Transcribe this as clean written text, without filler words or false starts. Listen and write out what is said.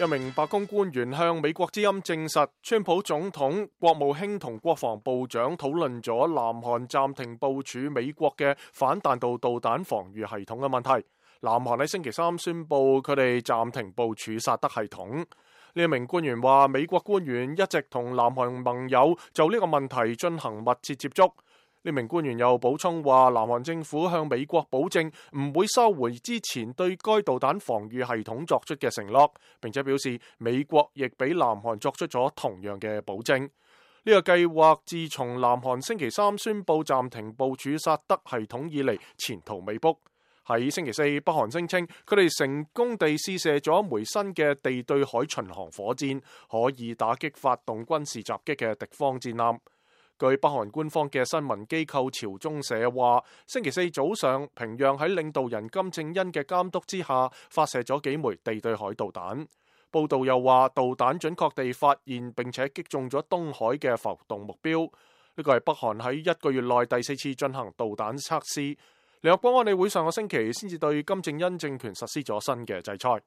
一名白宮官員向美國之音證實，川普總統、國務卿同國防部長討論咗南韓暫停部署美國嘅反彈道導彈防禦系統嘅問題。南韓喺星期三宣布佢哋暫停部署薩德系統。呢一名官員話，美國官員一直同南韓盟友就呢個問題進行密切接觸。呢名官員又補充話，南韓政府向美國保證唔會收回之前對該導彈防禦系統作出嘅承諾，並且表示美國亦俾南韓作出咗同樣嘅保證。呢個計劃自從南韓星期三宣布暫停部署薩德系統以嚟，前途未卜。喺星期四，北韓聲稱佢哋成功地試射咗一枚新嘅地對海巡航火箭，可以打擊發動軍事襲擊嘅敵方戰艦。據北韓官方嘅新聞機構朝中社話，星期四早上，平壤喺領導人金正恩嘅監督之下，發射咗幾枚地對海導彈。報道又話，導彈準確地發現並且擊中咗東海嘅浮動目標。呢個係北韓喺一個月內第4次進行導彈測試。聯合國安理會上個星期先至對金正恩政權實施咗新嘅制裁。